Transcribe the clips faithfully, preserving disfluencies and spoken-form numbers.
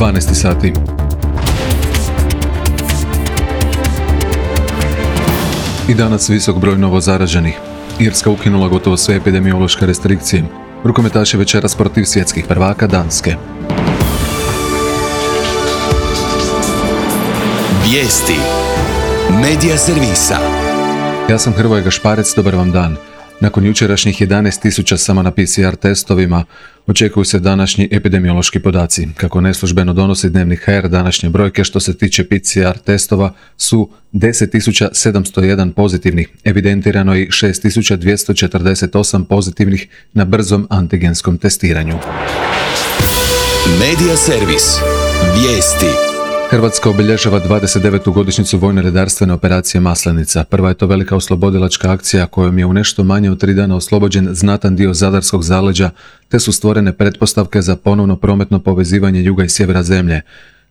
dvanaest sati. I danas visok broj novo zaraženih. Irska ukinula gotovo sve epidemiološke restrikcije. Rukometaši večeras protiv svjetskih prvaka Danske. Vijesti Medija servisa. Ja sam Hrvoje Gašparec, dobar vam dan. Nakon jučerašnjih jedanaest tisuća samo na P C R testovima, očekuju se današnji epidemiološki podaci. Kako neslužbeno donosi dnevnik H R, današnje brojke što se tiče P C R testova su deset tisuća sedamsto jedan pozitivnih, evidentirano i šest tisuća dvjesto četrdeset osam pozitivnih na brzom antigenskom testiranju. Medija servis. Vijesti. Hrvatska obilježava dvadeset devetu godišnjicu vojno-redarstvene operacije Maslenica. Prva je to velika oslobodilačka akcija kojom je u nešto manje od tri dana oslobođen znatan dio zadarskog zaleđa, te su stvorene pretpostavke za ponovno prometno povezivanje juga i sjevera zemlje.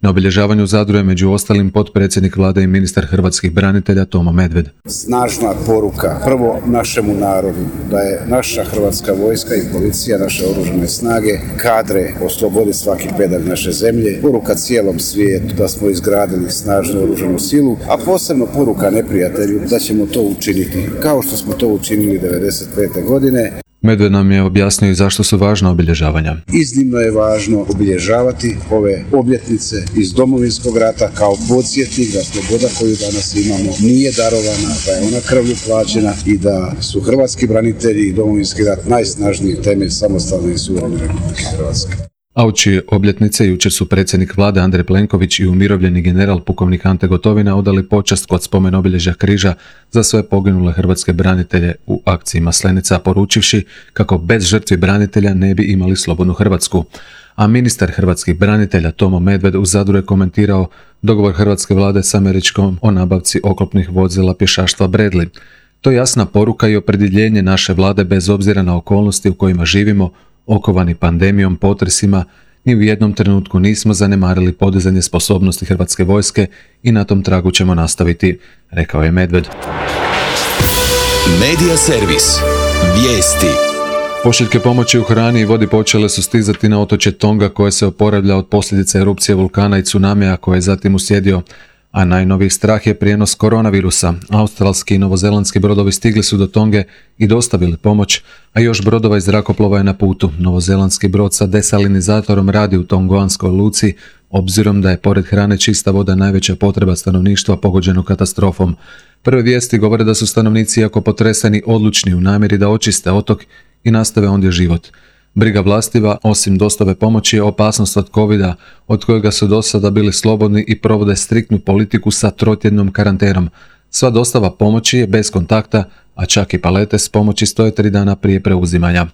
Na obilježavanju u Zadru je među ostalim potpredsjednik vlade i ministar hrvatskih branitelja Tomo Medved. Snažna poruka prvo našemu narodu da je naša hrvatska vojska i policija, naše oružane snage kadre osloboditi svaki pedalj naše zemlje. Poruka cijelom svijetu da smo izgradili snažnu oružanu silu, a posebno poruka neprijatelju da ćemo to učiniti kao što smo to učinili devedeset pete. godine. Medved nam je objasnio i zašto su važna obilježavanja. Iznimno je važno obilježavati ove obljetnice iz Domovinskog rata kao podsjetnik da sloboda koju danas imamo nije darovana, da je ona krvlju plaćena i da su hrvatski branitelji i Domovinski rat najsnažniji temelj samostalne i suverene Republike Hrvatske. A uoči obljetnice jučer su predsjednik vlade Andrej Plenković i umirovljeni general pukovnik Ante Gotovina odali počast kod spomen obilježja križa za sve poginule hrvatske branitelje u akciji Maslenica, poručivši kako bez žrtvi branitelja ne bi imali slobodnu Hrvatsku. A ministar hrvatskih branitelja Tomo Medved u Zadru je komentirao dogovor hrvatske vlade s Američkom o nabavci oklopnih vozila pješaštva Bradley. To je jasna poruka i opredjeljenje naše vlade bez obzira na okolnosti u kojima živimo, okovani pandemijom, potresima, ni u jednom trenutku nismo zanemarili podizanje sposobnosti hrvatske vojske i na tom tragu ćemo nastaviti, rekao je Medved. Medija servis. Vijesti. Pošiljke pomoći u hrani i vodi počele su stizati na otočje Tonga koje se oporavlja od posljedica erupcije vulkana i tsunamija koje je zatim uslijedio, a najnoviji strah je prijenos koronavirusa. Australski i novozelandski brodovi stigli su do Tonge i dostavili pomoć, a još brodova iz zrakoplova je na putu. Novozelandski brod sa desalinizatorom radi u tonguanskoj luci, obzirom da je pored hrane čista voda najveća potreba stanovništva pogođeno katastrofom. Prve vijesti govore da su stanovnici, iako potreseni, odlučni u namjeri da očiste otok i nastave ondje život. Briga vlastima, osim dostave pomoći, je opasnost od covida, od kojega su do sada bili slobodni i provode striktnu politiku sa trotjednom karantenom. Sva dostava pomoći je bez kontakta, a čak i palete s pomoći stoje tri dana prije preuzimanja.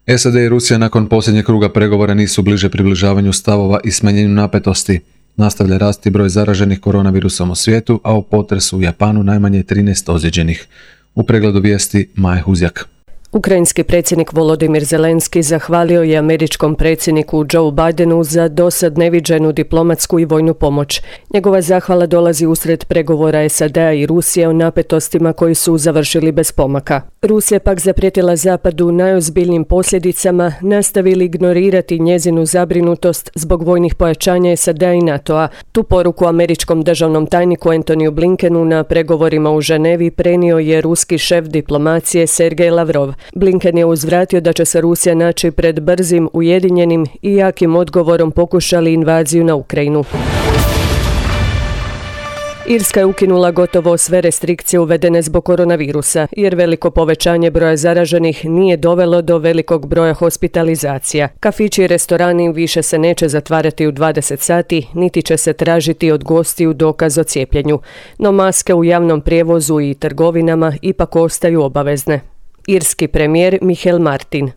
S A D i Rusija nakon posljednjeg kruga pregovora nisu bliže približavanju stavova i smanjenju napetosti. Nastavlja rasti broj zaraženih koronavirusom u svijetu, a u potresu u Japanu najmanje trinaest ozlijeđenih. U pregledu vijesti Maja Huzjak. Ukrajinski predsjednik Volodimir Zelenski zahvalio je američkom predsjedniku Joe Bidenu za dosad neviđenu diplomatsku i vojnu pomoć. Njegova zahvala dolazi usred pregovora S A D-a i Rusije o napetostima koji su završili bez pomaka. Rusija pak zaprijetila Zapadu najozbiljnijim posljedicama, nastavili ignorirati njezinu zabrinutost zbog vojnih pojačanja S A D-a i NATO-a. Tu poruku američkom državnom tajniku Antoniju Blinkenu na pregovorima u Ženevi prenio je ruski šef diplomacije Sergej Lavrov. Blinken je uzvratio da će se Rusija naći pred brzim, ujedinjenim i jakim odgovorom pokušali invaziju na Ukrajinu. Irska je ukinula gotovo sve restrikcije uvedene zbog koronavirusa, jer veliko povećanje broja zaraženih nije dovelo do velikog broja hospitalizacija. Kafići i restorani više se neće zatvarati u dvadeset sati, niti će se tražiti od gostiju dokaz o cijepljenju. No maske u javnom prijevozu i trgovinama ipak ostaju obavezne. Irski premijer Michael Martin.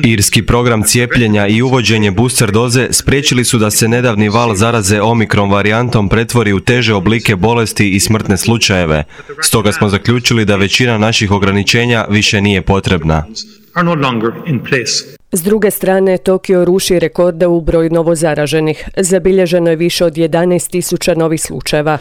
Irski program cijepljenja i uvođenje booster doze spriječili su da se nedavni val zaraze omikron varijantom pretvori u teže oblike bolesti i smrtne slučajeve. Stoga smo zaključili da većina naših ograničenja više nije potrebna. S druge strane, Tokio ruši rekorde u broju novozaraženih. Zabilježeno je više od jedanaest tisuća novih slučajeva.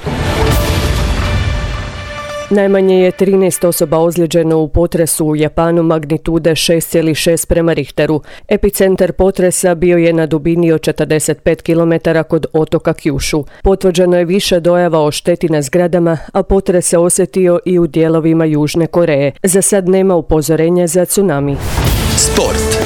Najmanje je trinaest osoba ozlijeđeno u potresu u Japanu magnitude šest zarez šest prema Richteru. Epicentar potresa bio je na dubini od četrdeset pet kilometara kod otoka Kyushu. Potvrđeno je više dojava o šteti na zgradama, a potres se osjetio i u dijelovima Južne Koreje. Za sad nema upozorenja za tsunami. Sport.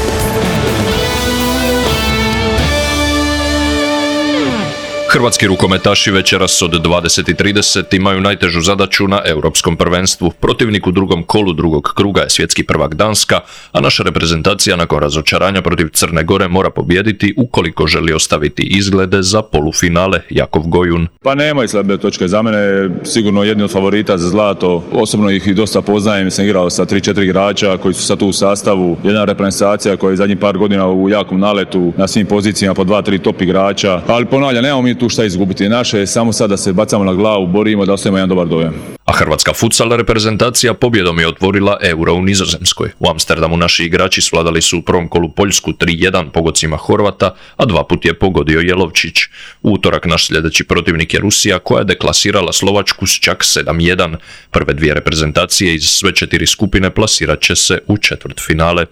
Hrvatski rukometaši večeras od dvadeset i trideset imaju najtežu zadaću na Europskom prvenstvu. Protivnik u drugom kolu drugog kruga je svjetski prvak Danska, a naša reprezentacija nakon razočaranja protiv Crne Gore mora pobijediti ukoliko želi ostaviti izglede za polufinale. Jakov Gojun. Pa nemaju slabe točke. Za mene sigurno jedni od favorita za zlato. Osobno ih i dosta poznajem. Sam igrao sa tri četiri igrača koji su sad tu u sastavu. Jedna reprezentacija koja je zadnjih par godina u jakom naletu na svim pozicijama po dva tri top igrača. Ali ponavljam, nemamo mi tu šta izgubiti. Naše je samo sad da se bacamo na glavu, borimo da ostavimo jedan dobar dojam. A hrvatska futsal reprezentacija pobjedom je otvorila Euro u Nizozemskoj. U Amsterdamu naši igrači svladali su u prvom kolu Poljsku tri jedan pogodcima Horvata, a dva put je pogodio Jelovčić. U utorak naš sljedeći protivnik je Rusija, koja je deklasirala Slovačku s čak sedam jedan. Prve dvije reprezentacije iz sve četiri skupine plasirat će se u četvrtfinale.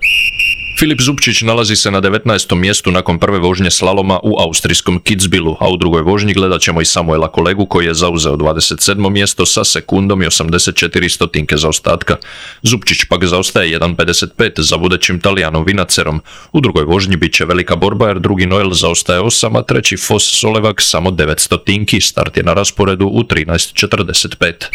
Filip Zupčić nalazi se na devetnaestom mjestu nakon prve vožnje slaloma u austrijskom Kitzbühelu, a u drugoj vožnji gledat ćemo i Samuela Kolegu koji je zauzeo dvadeset sedmo mjesto sa sekundom i osamdeset četiri stotinke zaostatka. Zupčić pak zaostaje jedan zarez pedeset pet za vodećim Talijanom Vinacerom. U drugoj vožnji bit će velika borba jer drugi Noel zaostaje osam, a treći Fos Solevak samo devet stotinki. Start je na rasporedu u trinaest četrdeset pet.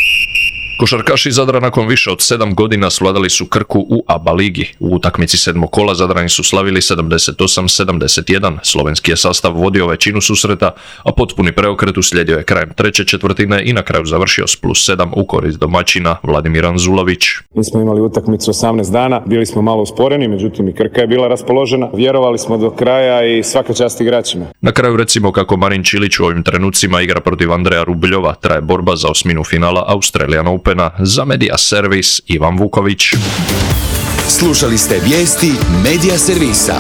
Košarkaši Zadra nakon više od sedam godina svladali su Krku u A B A ligi. U utakmici sedmog kola Zadrani su slavili sedamdeset osam sedamdeset jedan. Slovenski je sastav vodio većinu susreta, a potpuni preokret uslijedio je krajem treće četvrtine i na kraju završio s plus sedam u korist domaćina. Vladimir Anzulović. Mi smo imali utakmicu osamnaest dana, bili smo malo usporeni, međutim i Krka je bila raspoložena. Vjerovali smo do kraja i svaka čast igračima. Na kraju recimo kako Marin Čilić u ovim trenucima igra protiv Andreja Rubljova. Traje borba za osminu finala Australian Open. Za Media Servis Ivan Vuković. Slušali ste vijesti Media Servisa.